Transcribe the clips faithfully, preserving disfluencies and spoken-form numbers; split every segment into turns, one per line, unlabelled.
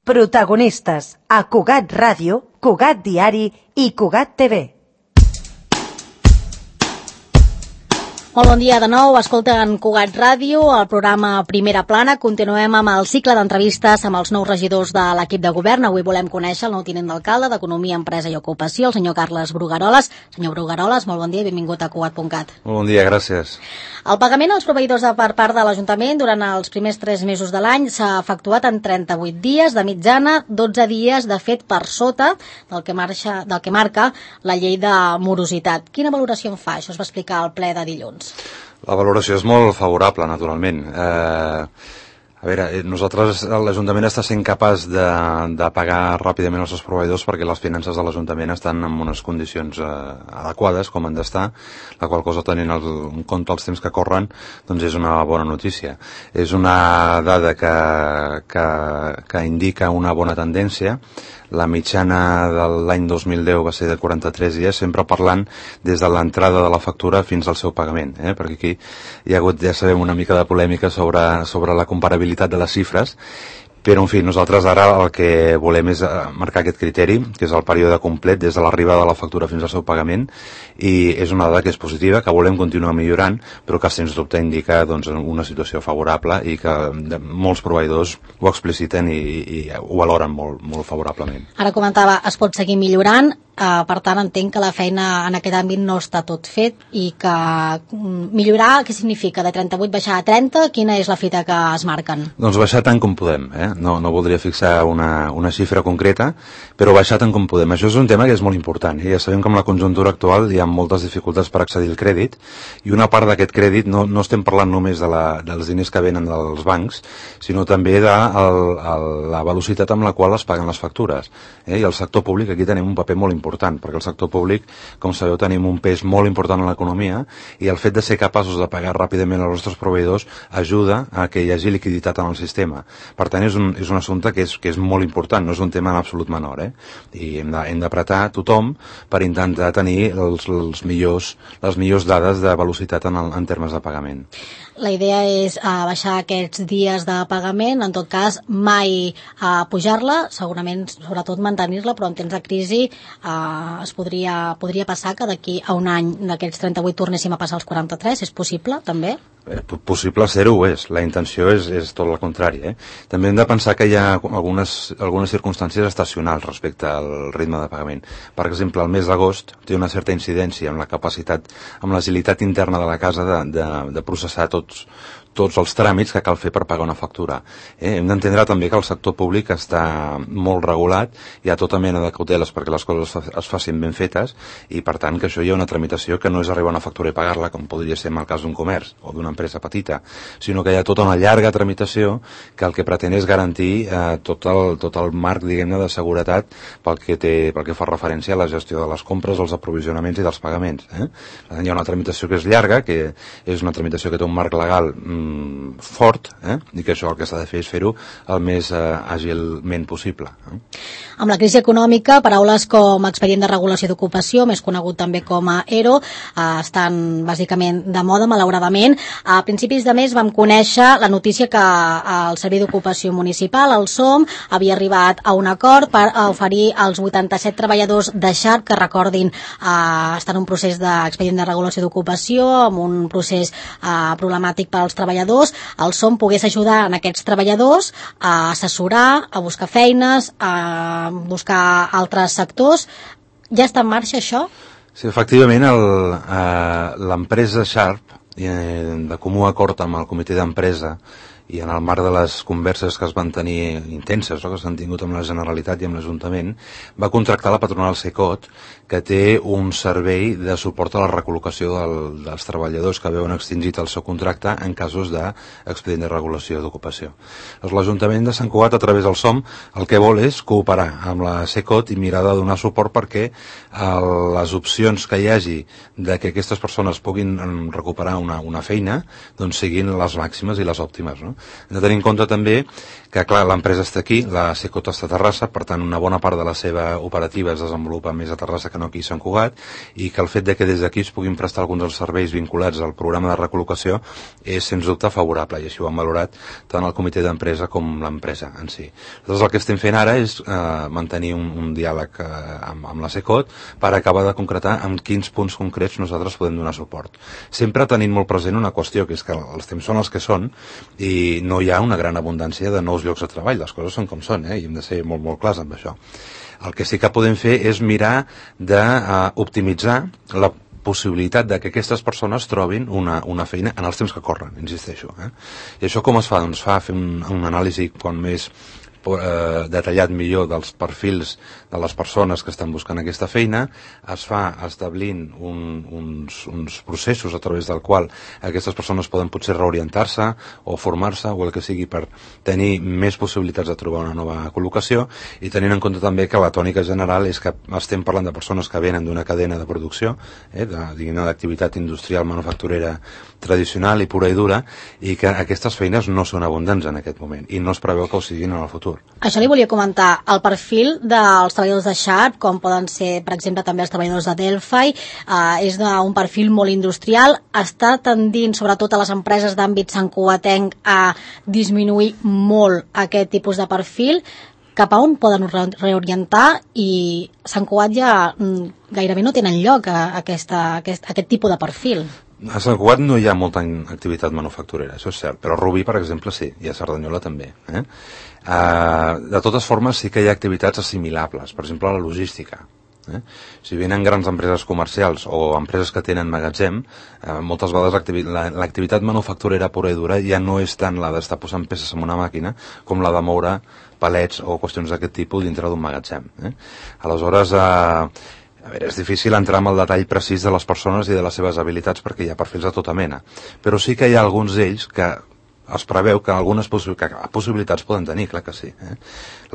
Protagonistes a Cugat Ràdio, Cugat Diari i Cugat T V.
Molt bon dia de nou, escolten Cugat Ràdio, el programa Primera Plana. Continuem amb el cicle d'entrevistes amb els nous regidors de l'equip de govern. Avui volem conèixer el nou tinent d'alcalde d'Economia, Empresa i Ocupació, el senyor Carles Brugueroles. Senyor Brugueroles, molt bon dia i benvingut a Cugat punt cat.
Molt bon dia, gràcies.
El pagament als proveïdors de per part de l'Ajuntament durant els primers tres mesos de l'any s'ha efectuat en trenta-vuit dies, de mitjana dotze dies, de fet per sota del que, marxa, del que marca la llei de morositat. Quina valoració en fa? Això es va explicar al ple de dilluns.
La valoració és molt favorable, naturalment. Eh, a veure, nosaltres, l'Ajuntament està sent capaç de, de pagar ràpidament els seus proveïdors perquè les finances de l'Ajuntament estan en unes condicions eh, adequades, com han d'estar, la qual cosa, tenint el, en compte els temps que corren, doncs és una bona notícia. És una dada que, que, que indica una bona tendència. La mitjana de l'any dos mil deu va ser de quaranta-tres dies, sempre parlant des de l'entrada de la factura fins al seu pagament, eh? Perquè aquí hi ha hagut, ja sabem, una mica de polèmica sobre, sobre la comparabilitat de les xifres, però, en fi, nosaltres ara el que volem és marcar aquest criteri, que és el període complet des de l'arribada de la factura fins al seu pagament, i és una dada que és positiva, que volem continuar millorant, però que sens dubte indica doncs, una situació favorable i que molts proveïdors ho expliciten i, i ho valoren molt, molt favorablement.
Ara comentava, es pot seguir millorant, Uh, per tant entenc que la feina en aquest àmbit no està tot fet i que mm, millorar, què significa? De trenta-vuit baixar a trenta? Quina és la fita que es marquen?
Doncs baixar tant com podem, eh? no, no voldria fixar una, una xifra concreta, però baixar tant com podem. Això és un tema que és molt important, eh? Ja sabem que en la conjuntura actual hi ha moltes dificultats per accedir al crèdit, i una part d'aquest crèdit no, no estem parlant només de la, dels diners que venen dels bancs, sinó també de el, el, la velocitat amb la qual es paguen les factures, eh? I el sector públic aquí tenim un paper molt important important, perquè el sector públic, com sabeu, tenim un pes molt important en l'economia, i el fet de ser capaços de pagar ràpidament als nostres proveïdors ajuda a que hi hagi liquiditat en el sistema. Per tant, és un, és un assumpte que és, que és molt important, no és un tema en absolut menor, eh? I hem de, hem d'apretar tothom per intentar tenir els, els millors, les millors dades de velocitat en, el, en termes de pagament.
La idea és uh, baixar aquests dies de pagament, en tot cas mai uh, pujar-la, segurament sobretot mantenir-la, però en temps de crisi uh, es podria, podria passar que d'aquí a un any d'aquests trenta-vuit tornéssim a passar als quaranta-tres, és possible també?
Eh, possible ser-ho ho és, la intenció és, és tot el contrari, eh? També hem de pensar que hi ha algunes, algunes circumstàncies estacionals respecte al ritme de pagament. Per exemple, el mes d'agost té una certa incidència amb la capacitat, amb l'agilitat interna de la casa de, de, de processar tots tots els tràmits que cal fer per pagar una factura. Eh? Hem d'entendre també que el sector públic està molt regulat, hi ha tota mena de cauteles perquè les coses es facin ben fetes, i per tant que això hi ha una tramitació que no és arribar a una factura i pagar-la, com podria ser en el cas d'un comerç o d'una empresa petita, sinó que hi ha tota una llarga tramitació que el que pretén és garantir eh, tot, el, tot el marc, diguem-ne, de seguretat pel que, té, pel que fa referència a la gestió de les compres, els aprovisionaments i dels pagaments. Eh? Per tant, hi ha una tramitació que és llarga, que és una tramitació que té un marc legal mm, fort, eh? I que això el que s'ha de fer és fer-ho el més eh, àgilment possible. Eh?
Amb la crisi econòmica, paraules com expedient de regulació d'ocupació, més conegut també com a E R O, eh, estan bàsicament de moda, malauradament. A principis de mes vam conèixer la notícia que el Servei d'Ocupació Municipal, el S O M, havia arribat a un acord per oferir als vuitanta-set treballadors de Sharp, que recordin, eh, estan en un procés d'expedient de regulació d'ocupació, amb un procés eh, problemàtic per als treballadors, el S O M pogués ajudar en aquests treballadors a assessorar, a buscar feines, a buscar altres sectors. Ja està en marxa això?
Sí, efectivament, l'empresa Sharp, eh, de comú acord amb el comitè d'empresa i en el marc de les converses que es van tenir intenses, no?, que s'han tingut amb la Generalitat i amb l'Ajuntament, va contractar la patronal Secot, que té un servei de suport a la recol·locació del, dels treballadors que veuen extingit el seu contracte en casos d'expedient de regulació d'ocupació. L'Ajuntament de Sant Cugat, a través del S O M, el que vol és cooperar amb la Secot i mirar de donar suport perquè el, les opcions que hi hagi de que aquestes persones puguin recuperar una, una feina doncs siguin les màximes i les òptimes, no? Hem de tenir en compte també que, clar, l'empresa està aquí, la Secot està a Terrassa, per tant, una bona part de la seva operativa es desenvolupa més a Terrassa que no aquí a Sant Cugat, i que el fet de que des d'aquí es puguin prestar alguns dels serveis vinculats al programa de recol·locació és, sens dubte, favorable, i així ho han valorat tant el comitè d'empresa com l'empresa en si. Llavors, el que estem fent ara és eh, mantenir un, un diàleg eh, amb, amb la Secot per acabar de concretar en quins punts concrets nosaltres podem donar suport. Sempre tenint molt present una qüestió, que és que els temps són els que són i no hi ha una gran abundància de nous llocs de treball, les coses són com són, eh? I hem de ser molt, molt clars amb això. El que sí que podem fer és mirar d'optimitzar uh, la possibilitat de que aquestes persones trobin una, una feina en els temps que corren, insisteixo. Eh? I això com es fa? Doncs fa fer un, un anàlisi quan més eh, detallat millor dels perfils de les persones que estan buscant aquesta feina, es fa establint un, uns, uns processos a través del qual aquestes persones poden potser reorientar-se o formar-se o el que sigui per tenir més possibilitats de trobar una nova col·locació, i tenint en compte també que la tònica general és que estem parlant de persones que venen d'una cadena de producció, eh, d'activitat industrial manufacturera tradicional i pura i dura, i que aquestes feines no són abundants en aquest moment i no es preveu que ho siguin en el futur.
Això li volia comentar. El perfil dels treballadors de Sharp, com poden ser, per exemple, també els treballadors de Delphi, eh, és d'un perfil molt industrial. Està tendint, sobretot a les empreses d'àmbit santcugatenc, a disminuir molt aquest tipus de perfil. Cap a on poden reorientar? I Sant Cugat ja gairebé no tenen lloc a aquesta, a aquest, a aquest tipus de perfil.
A Sant Cugat no hi ha molta activitat manufacturera, això és cert, però a Rubí, per exemple, sí, i a Cerdanyola també. Eh? Uh, de totes formes, sí que hi ha activitats assimilables, per exemple, la logística. Eh? Si venen grans empreses comercials o empreses que tenen magatzem, eh, moltes vegades l'activitat manufacturera pura i dura ja no és tant la d'estar posant peces en una màquina com la de moure palets o qüestions d'aquest tipus dintre d'un magatzem. Eh? Aleshores, eh, a veure, és difícil entrar en el detall precís de les persones i de les seves habilitats perquè hi ha perfils de tota mena, però sí que hi ha alguns d'ells que es preveu que algunes possi que possibilitats poden tenir, clar que sí. Eh?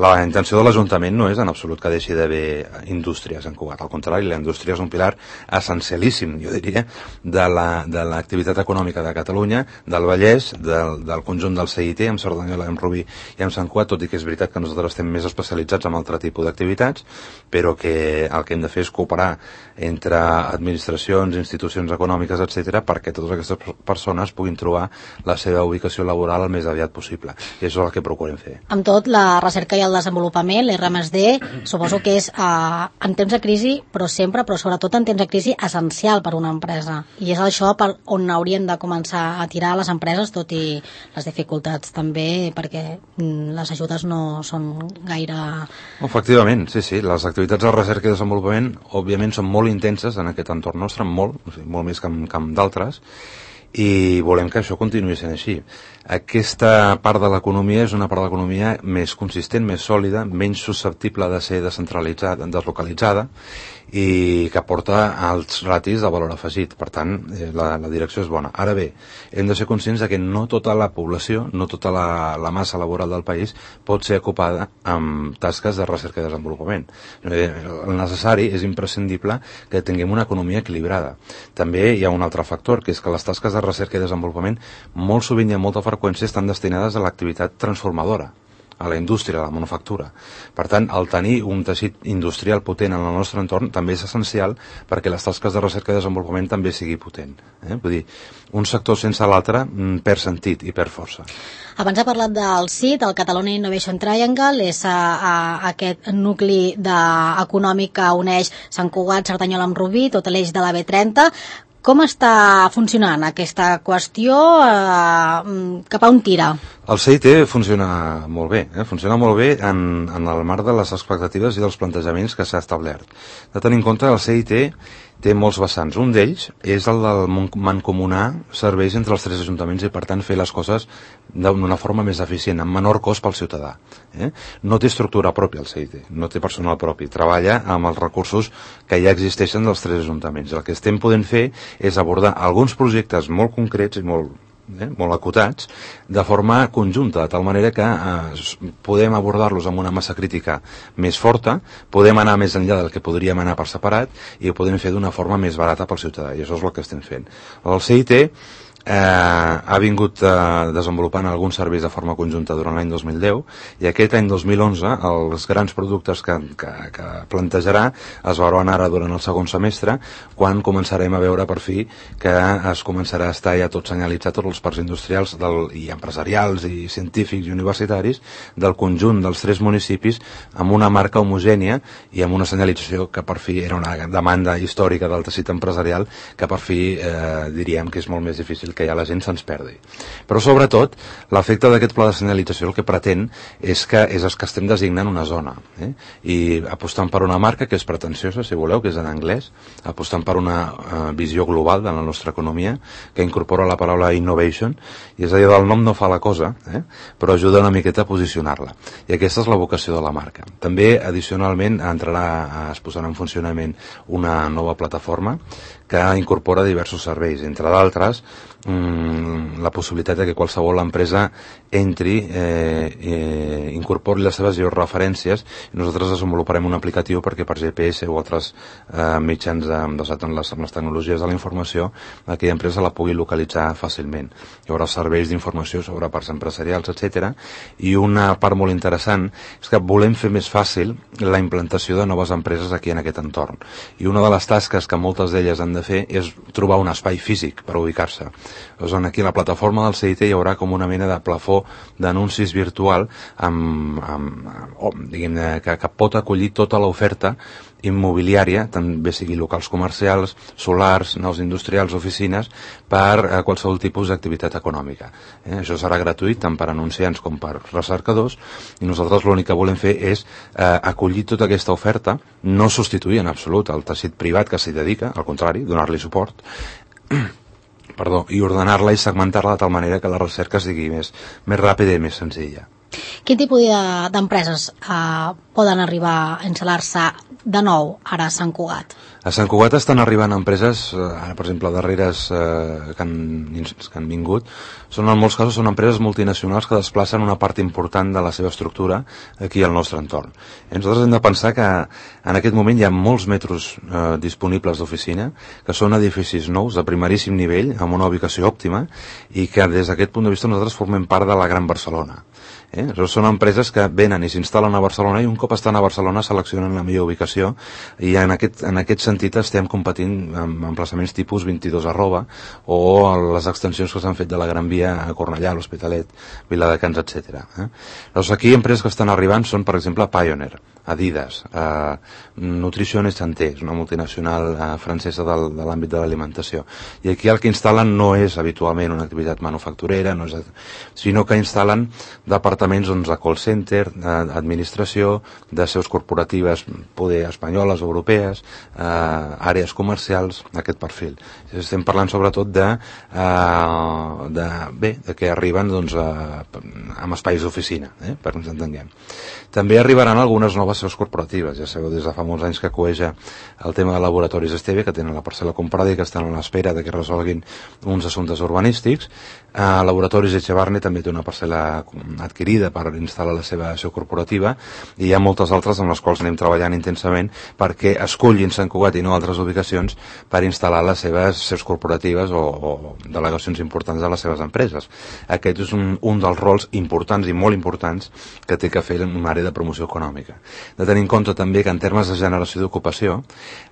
La intenció de l'Ajuntament no és en absolut que deixi d'haver indústries en Cugat, al contrari, la indústria és un pilar essencialíssim, jo diria, de l'activitat la, econòmica de Catalunya, del Vallès, del, del conjunt del C I T, amb Cerdanyola, amb Rubí i amb Sant Cugat, tot i que és veritat que nosaltres estem més especialitzats en altre tipus d'activitats, però que el que hem de fer és cooperar entre administracions, institucions econòmiques, etcètera, perquè totes aquestes persones puguin trobar la seva ubicació laboral el més aviat possible, i això és el que procurem fer.
Amb tot, la recerca i el desenvolupament, l'R més D, suposo que és eh, en temps de crisi, però sempre, però sobretot en temps de crisi, essencial per una empresa, i és això per on haurien de començar a tirar les empreses, tot i les dificultats també, perquè les ajudes no són gaire...
Efectivament, sí, sí, les activitats de recerca i desenvolupament òbviament són molt intenses en aquest entorn nostre, molt, o sigui, molt més que en, que en d'altres, i volem que això continuï sent així. Aquesta part de l'economia és una part de l'economia més consistent, més sòlida, menys susceptible de ser descentralitzada, deslocalitzada, i que porta alts ratis de valor afegit. Per tant, la, la direcció és bona. Ara bé, hem de ser conscients de que no tota la població, no tota la, la massa laboral del país pot ser ocupada amb tasques de recerca i desenvolupament. El necessari és imprescindible que tinguem una economia equilibrada. També hi ha un altre factor, que és que les tasques de recerca i desenvolupament molt sovint i amb molta freqüència estan destinades a l'activitat transformadora, a la indústria, a la manufactura. Per tant, el tenir un teixit industrial potent en el nostre entorn també és essencial perquè les tasques de recerca i desenvolupament també sigui potent. Eh? Vull dir, un sector sense l'altre perd sentit i perd força.
Abans ha parlat del C I T, el Catalonia Innovation Triangle, és a, a, aquest nucli de, econòmic que uneix Sant Cugat, Cerdanyola amb Rubí, tot l'eix de la B trenta. Com està funcionant aquesta qüestió? Eh, cap a on tira?
El C I T funciona molt bé, eh? funciona molt bé en, en el marc de les expectatives i dels plantejaments que s'ha establert. De tenir en compte, el C I T té molts vessants. Un d'ells és el del mancomunar serveis entre els tres ajuntaments i, per tant, fer les coses d'una forma més eficient, amb menor cost pel ciutadà. Eh? No té estructura pròpia el C I T, no té personal propi. Treballa amb els recursos que ja existeixen dels tres ajuntaments. El que estem podent fer és abordar alguns projectes molt concrets i molt Eh, molt acotats, de forma conjunta, de tal manera que eh, podem abordar-los amb una massa crítica més forta, podem anar més enllà del que podríem anar per separat i ho podem fer d'una forma més barata pel ciutadà, i això és el que estem fent. El C I T eh, ha vingut eh, desenvolupant alguns serveis de forma conjunta durant l'any dos mil deu, i aquest any dos mil onze els grans productes que, que, que plantejarà es veuran ara durant el segon semestre, quan començarem a veure per fi que es començarà a estar ja tot senyalitzat, tots els parcs industrials del, i empresarials i científics i universitaris del conjunt dels tres municipis, amb una marca homogènia i amb una senyalització que per fi era una demanda històrica del teixit empresarial, que per fi eh, diríem que és molt més difícil que ja la gent se'ns perdi. Però sobretot l'efecte d'aquest pla de senyalització el que pretén és que és que estem designant una zona, eh? I apostant per una marca que és pretensiosa, si voleu, que és en anglès, apostant per una eh, visió global de la nostra economia, que incorpora la paraula innovation, i és a dir, del nom no fa la cosa, eh? Però ajuda una miqueta a posicionar-la, i aquesta és la vocació de la marca. També, addicionalment, entrarà, es posarà en funcionament una nova plataforma que incorpora diversos serveis, entre d'altres mmm, la possibilitat de que qualsevol empresa entri, eh, eh, incorpori les seves georreferències, i nosaltres desenvoluparem un aplicatiu perquè per G P S o altres eh, mitjans de, basats en les, en les tecnologies de la informació, aquella empresa la pugui localitzar fàcilment. Hi haurà serveis d'informació sobre parcs empresarials, etcètera. I una part molt interessant és que volem fer més fàcil la implantació de noves empreses aquí en aquest entorn. I una de les tasques que moltes d'elles han de fer és trobar un espai físic per ubicar-se. Doncs aquí a la plataforma del C I T hi haurà com una mena de plafó d'anuncis virtual amb, amb, amb, diguem, que, que pot acollir tota l'oferta immobiliària, també sigui locals comercials, solars, naus industrials, oficines, per a qualsevol tipus d'activitat econòmica. Eh? Això serà gratuït tant per anunciants com per recercadors, i nosaltres l'únic que volem fer és eh, acollir tota aquesta oferta, no substituir en absolut el teixit privat que s'hi dedica, al contrari, donar-li suport, perdó, i ordenar-la i segmentar-la de tal manera que la recerca sigui més, més ràpida i més senzilla.
Quin tipus d'empreses eh, poden arribar a instal·lar-se de nou ara a Sant Cugat?
A Sant Cugat estan arribant empreses, ara per exemple darreres eh, que, han, que han vingut, són en molts casos són empreses multinacionals que desplacen una part important de la seva estructura aquí al nostre entorn. I nosaltres hem de pensar que en aquest moment hi ha molts metros eh, disponibles d'oficina, que són edificis nous de primeríssim nivell, amb una ubicació òptima, i que des d'aquest punt de vista nosaltres formem part de la Gran Barcelona. Eh? Són empreses que venen i s'instal·len a Barcelona i un cop estan a Barcelona seleccionen la millor ubicació, i en aquest, en aquest sentit estem competint amb emplaçaments tipus vint-i-dos arroba o les extensions que s'han fet de la Gran Via a Cornellà, l'Hospitalet, Viladecans, etcètera. Eh? Doncs aquí empreses que estan arribant són, per exemple, Pioneer, Adidas, eh, Nutrition et Santé, és una multinacional eh, francesa del, de l'àmbit de l'alimentació. I aquí el que instal·len no és habitualment una activitat manufacturera, no és, sinó que instal·len departaments doncs, de call center, d'administració, de seus corporatives, poder espanyoles, europees, eh, àrees comercials, aquest perfil. Estem parlant sobretot de, eh, de, bé, de que arriben doncs, a, amb espais d'oficina, eh, per que ens entenguem. També arribaran algunes noves seus corporatives. Ja sabeu, des de fa molts anys que coeja el tema de laboratoris Esteve, que tenen la parcel·la comprada i que estan a l'espera de que resolguin uns assumptes urbanístics. Eh, laboratoris Echevarne també té una parcel·la adquirida per instal·lar la seva seu corporativa, i hi ha moltes altres amb les quals anem treballant intensament perquè escollin Sant Cugat i no altres ubicacions per instal·lar les seves seus corporatives o, o delegacions importants de les seves empreses. Aquest és un, un dels rols importants i molt importants que té que fer una àrea de promoció econòmica. De tenir en compte també que en termes de generació d'ocupació,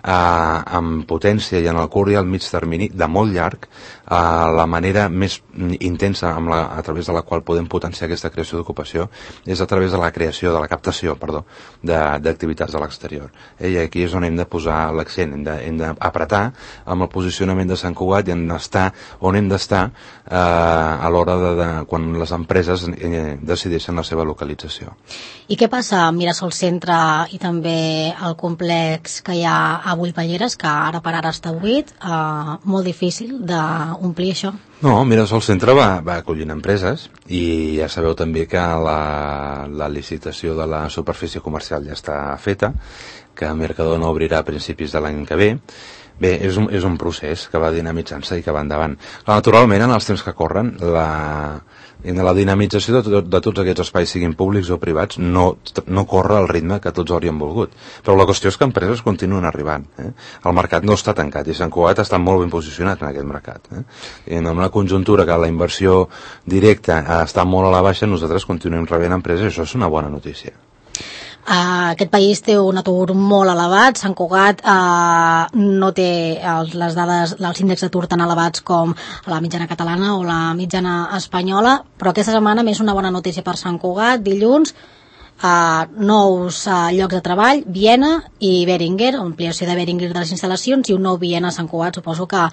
eh, amb potència i en el curt i el mig termini, de molt llarg, eh, la manera més intensa amb la, a través de la qual podem potenciar aquesta creació d'ocupació és a través de la creació, de la captació, perdó, d'activitats a l'exterior. Eh, I aquí és on hem de posar l'accent, hem d'apretar amb el posicionament de Sant Cugat i hem d'estar on hem d'estar eh, a l'hora de, de quan les empreses eh, decideixen la seva localització.
I què passa amb Mirasol Centre i també el complex que hi ha a Bullballeres, que ara per ara està buit, eh, molt difícil d'omplir això?
No, Mirasol Centre va, va acollint empreses, i ja sabeu també que la, la licitació de la superfície comercial ja està feta, que Mercadona obrirà a principis de l'any que ve. Bé, és un, és un procés que va dinamitzant-se i que va endavant. Naturalment, en els temps que corren, la, la dinamització de, tot, de tots aquests espais, siguin públics o privats, no, no corre al ritme que tots hauríem volgut. Però la qüestió és que empreses continuen arribant. Eh? El mercat no està tancat i Sant Cugat està molt ben posicionat en aquest mercat. Eh? I amb una una conjuntura que la inversió directa està molt a la baixa, nosaltres continuem rebent empreses, i això és una bona notícia.
Uh, aquest país té un atur molt elevat. Sant Cugat uh, no té els, les dades, els índexs d'atur tan elevats com la mitjana catalana o la mitjana espanyola, però aquesta setmana més una bona notícia per Sant Cugat. Dilluns, uh, nous uh, llocs de treball, Viena i Beringer, ampliació de Beringer de les instal·lacions, i un nou Viena a Sant Cugat. Suposo que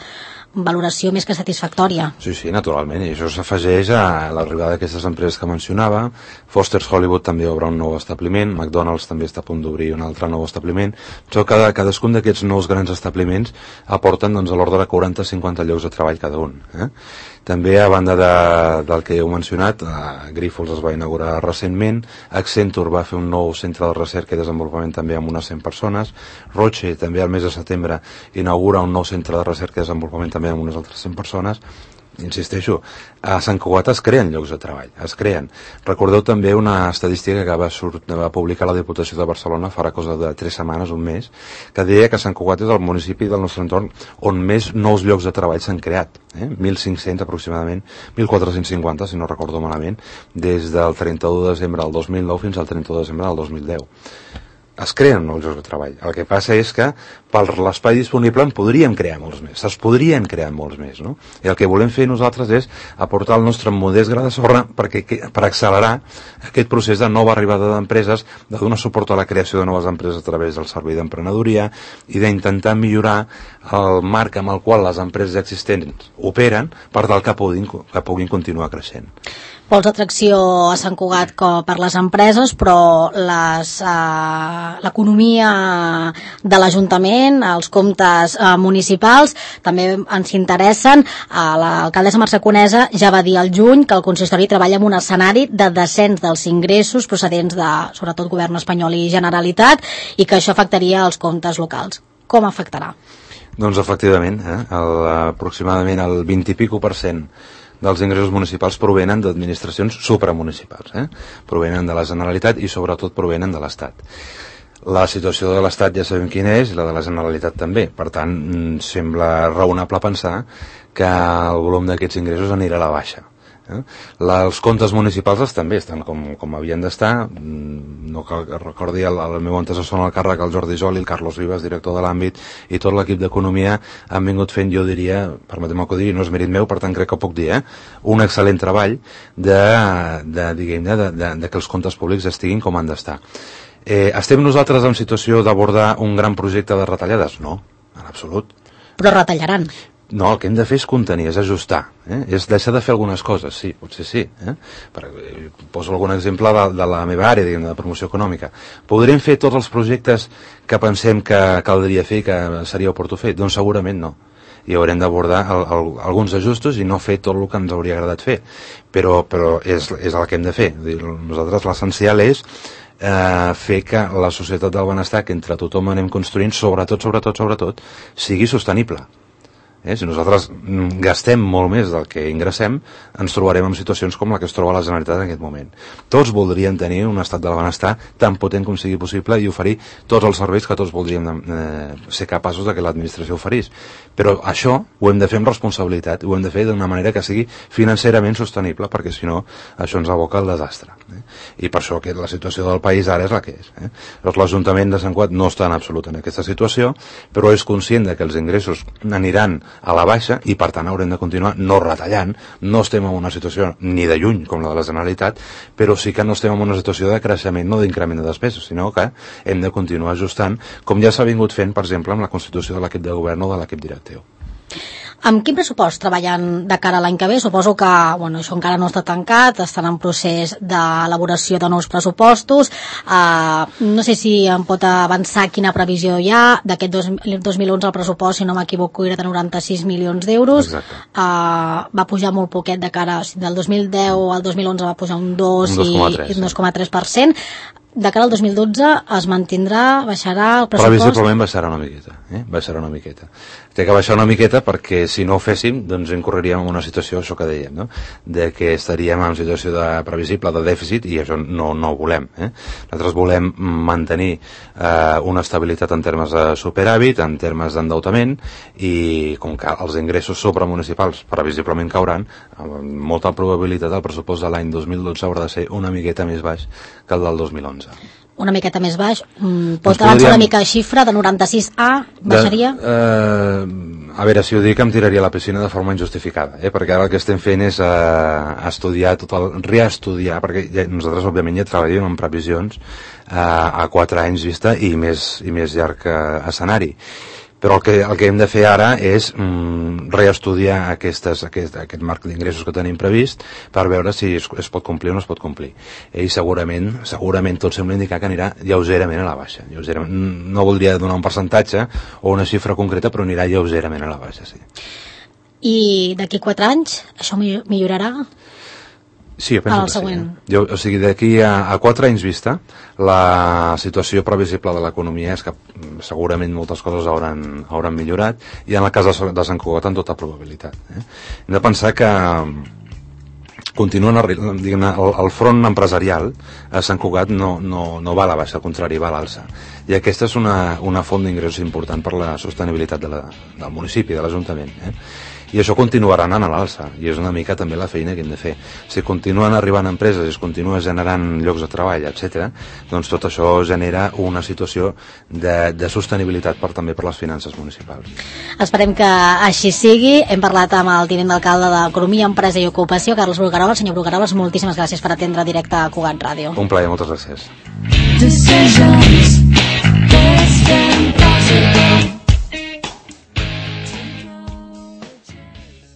valoració més que satisfactòria.
Sí, sí, naturalment, i això s'afegeix a l'arribada d'aquestes empreses que mencionava. Foster's Hollywood també obre un nou establiment, McDonald's també està a punt d'obrir un altre nou establiment. Això, cada, cadascun d'aquests nous grans establiments aporten doncs, a l'ordre de quaranta a cinquanta llocs de treball cada un. Eh? També, a banda de, del que heu mencionat, eh, Grifols es va inaugurar recentment, Accenture va fer un nou centre de recerca i desenvolupament també amb unes cent persones, Roche també al mes de setembre inaugura un nou centre de recerca i desenvolupament també amb unes altres cent persones. Insisteixo, a Sant Cugat es creen llocs de treball, es creen. Recordeu també una estadística que va, surt, va publicar la Diputació de Barcelona farà cosa de tres setmanes, un mes, que deia que Sant Cugat és el municipi del nostre entorn on més nous llocs de treball s'han creat, eh? mil cinc-cents aproximadament, mil quatre-cents cinquanta, si no recordo malament, des del trenta-u de desembre del dos mil nou fins al trenta-u de desembre del dos mil deu. Es creen nous llocs de treball. El que passa és que per l'espai disponible en podríem crear molts més, es podrien crear molts més, no? I el que volem fer nosaltres és aportar el nostre modest gra de sorra perquè, per accelerar aquest procés de nova arribada d'empreses, de donar suport a la creació de noves empreses a través del servei d'emprenedoria i d'intentar millorar el marc amb el qual les empreses existents operen per tal que puguin, que puguin continuar creixent.
Pols d'atracció a Sant Cugat per les empreses, però les, eh, l'economia de l'Ajuntament, els comptes eh, municipals, també ens interessen. Eh, l'alcaldessa Mercè Conesa ja va dir al juny que el consistori treballa en un escenari de descens dels ingressos procedents de, sobretot, govern espanyol i Generalitat, i que això afectaria els comptes locals. Com afectarà?
Doncs efectivament, eh, el, aproximadament el vint i pico per cent dels ingressos municipals provenen d'administracions supramunicipals, eh? Provenen de la Generalitat i sobretot provenen de l'Estat. La situació de l'Estat ja sabem quina és, i la de la Generalitat també. Per tant, sembla raonable pensar que el volum d'aquests ingressos anirà a la baixa. Eh? La, els comptes municipals també estan com, com havien d'estar. No cal que recordi el, el meu antecessor en el càrrec, el Jordi Joli, el Carlos Vives, director de l'àmbit, i tot l'equip d'Economia han vingut fent, jo diria, permetem-me que ho digui, no és mèrit meu, per tant crec que ho puc dir, eh? un excel·lent treball de, de, diguem-ne, de, de, de que els comptes públics estiguin com han d'estar. Eh, estem nosaltres en situació d'abordar un gran projecte de retallades? No, en absolut.
Però retallaran.
No, el que hem de fer és contenir, és ajustar, eh? és deixar de fer algunes coses, sí, potser sí. Eh? Per, eh, poso algun exemple de, de la meva àrea, diguem, de promoció econòmica. Podríem fer tots els projectes que pensem que caldria fer i que seria oportú fer? Doncs segurament no. I haurem d'abordar el, el, alguns ajustos i no fer tot el que ens hauria agradat fer. Però, però és, és el que hem de fer. Nosaltres l'essencial és eh, fer que la societat del benestar que entre tothom anem construint, sobretot, sobretot, sobretot, sigui sostenible. Eh? Si nosaltres gastem molt més del que ingressem, ens trobarem en situacions com la que es troba la Generalitat en aquest moment. Tots voldrien tenir un estat del benestar tan potent com sigui possible i oferir tots els serveis que tots voldríem eh, ser capaços de que l'administració oferís. Però això ho hem de fer amb responsabilitat, ho hem de fer d'una manera que sigui financerament sostenible, perquè si no, això ens aboca al desastre. Eh? I per això que la situació del país ara és la que és. Eh? L'Ajuntament de Sant Cugat no està en absolut en aquesta situació, però és conscient de que els ingressos aniran a la baixa i per tant haurem de continuar no retallant. No estem en una situació ni de lluny com la de la Generalitat, però sí que no estem en una situació de creixement, no d'increment de despeses, sinó que hem de continuar ajustant, com ja s'ha vingut fent, per exemple, amb la constitució de l'equip de govern o de l'equip directiu.
Amb quin pressupost treballen de cara a l'any que ve? Suposo que bueno, això encara no està tancat, estan en procés d'elaboració de nous pressupostos. Uh, no sé si em pot avançar quina previsió hi ha. D'aquest dos mil onze el pressupost, si no m'equivoco, era de noranta-sis milions d'euros. Uh, va pujar molt poquet de cara, del dos mil deu al dos mil onze va pujar un dos i un dos coma tres per cent. de cara al dos mil dotze es mantindrà, baixarà el pressupost?
Previsiblement baixarà una miqueta, eh? baixarà una miqueta. Té que baixar una miqueta perquè si no ho féssim, doncs incorreríem en una situació, això que dèiem, no? De que estaríem en situació de previsible de dèficit i això no, no ho volem. Eh? Nosaltres volem mantenir eh, una estabilitat en termes de superàvit, en termes d'endeutament, i com que els ingressos sobremunicipals previsiblement cauran, amb molta probabilitat el pressupost de l'any dos mil dotze haurà de ser una miqueta més baix que el del dos mil onze.
Una miqueta més baix. Mm, pot
Doncs
avançar
podríem...
una mica de xifra, de noranta-sis a, baixaria?
De, eh, a veure, si ho dic em tiraria a la piscina de forma injustificada, eh? perquè ara el que estem fent és eh, estudiar, tot el, reestudiar, perquè ja, nosaltres òbviament ja treballem en previsions eh, a quatre anys vista i més, i més llarg eh, escenari. Però el que, el que hem de fer ara és mm, reestudiar aquestes, aquest, aquest marc d'ingressos que tenim previst per veure si es, es pot complir o no es pot complir. I segurament, segurament tot sembla indicar que anirà lleugerament a la baixa. Lleugerament, no voldria donar un percentatge o una xifra concreta, però anirà lleugerament a la baixa, sí.
I d'aquí quatre anys això millorarà?
Sí, jo penso
el
que
següent.
sí. Eh? Jo, o sigui, d'aquí a, a quatre anys vista, la situació previsible de l'economia és que segurament moltes coses hauran, hauran millorat, i en el cas de, de Sant Cugat amb tota probabilitat. Eh? Hem de pensar que continuen diguem-ne, el, el front empresarial a Sant Cugat no, no, no va a la baixa, al contrari, va a l'alça. I aquesta és una, una font d'ingressos important per la sostenibilitat de la, del municipi, de l'Ajuntament. Eh? I això continuarà anant a l'alça, i és una mica també la feina que hem de fer. Si continuen arribant empreses i es continua generant llocs de treball, etcètera, doncs tot això genera una situació de, de sostenibilitat per, també per les finances municipals.
Esperem que així sigui. Hem parlat amb el tinent d'alcalde d'Economia, Empresa i Ocupació, Carles Brugueroles. Senyor Brugueroles, moltíssimes gràcies per atendre directe a Cugat Ràdio.
Un plaer, moltes gràcies.
Decisions, best and possible.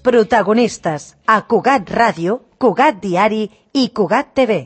Protagonistes a Cugat Ràdio, Cugat Diari i Cugat T V.